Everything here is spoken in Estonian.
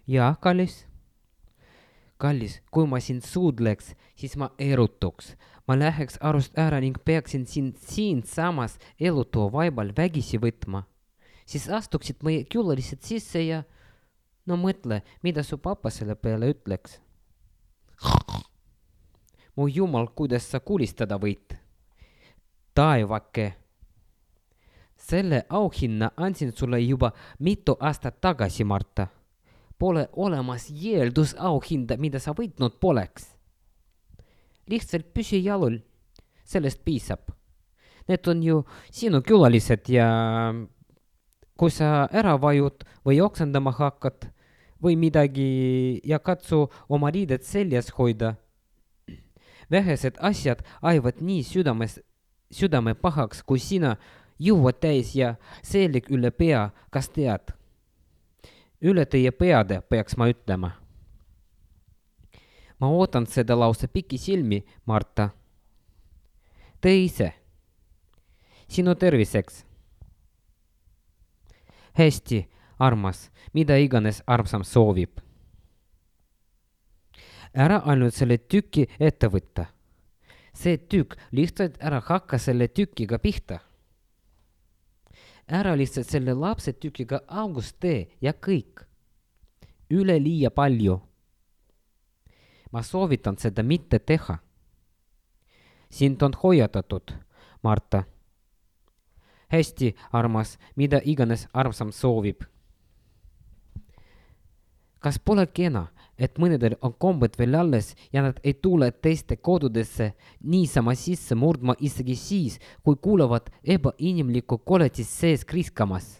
Jaa, kallis. Kallis, kui ma sind suudleks, siis ma erutuks. Ma läheks arust ära ning peaksin sind siinsamas elutoa vaibal vägisi võtma. Siis astuksid meie külalised sisse ja no mõtle, mida su papa selle peale ütleks. Mu jumal, kuidas sa kulistada võid. Taevake. Selle auhinna andsin sulle juba mitu aastat tagasi, Marta. Pole olemas eeldusauhinda, mida sa võitnud poleks. Lihtsalt püsi jalul. Sellest piisab. Need on ju sinu külalised ja kui sa ära vajud või oksendama hakkad või midagi ja katsu oma riided seljas hoida. Vähesed asjad ajavad nii südame pahaks, kui sina juuad täis ja seelik üle pea, kas tead? Üle teie peade, peaks ma ütlema. Ma ootan seda lause pikisilmi, Marta. Tee ise. Sinu terviseks. Hästi, armas, mida iganes armsam soovib. Ära ainult selle tüki ette võtta. See tükk lihtsalt ära hakka selle tükiga pihta. Ära lihtsalt selle lapse tükiga august tee ja kõik. Üle liia palju. Ma soovitan seda mitte teha. Sind on hoiatatud, Marta. Hästi, armas, mida iganes armsam soovib. Kas pole kena, et mõnedel on kombed veel alles ja nad ei tule teiste kodudesse niisama sisse murdma isegi siis, kui kuulevad ebainimlikku koletist sees kriskamas?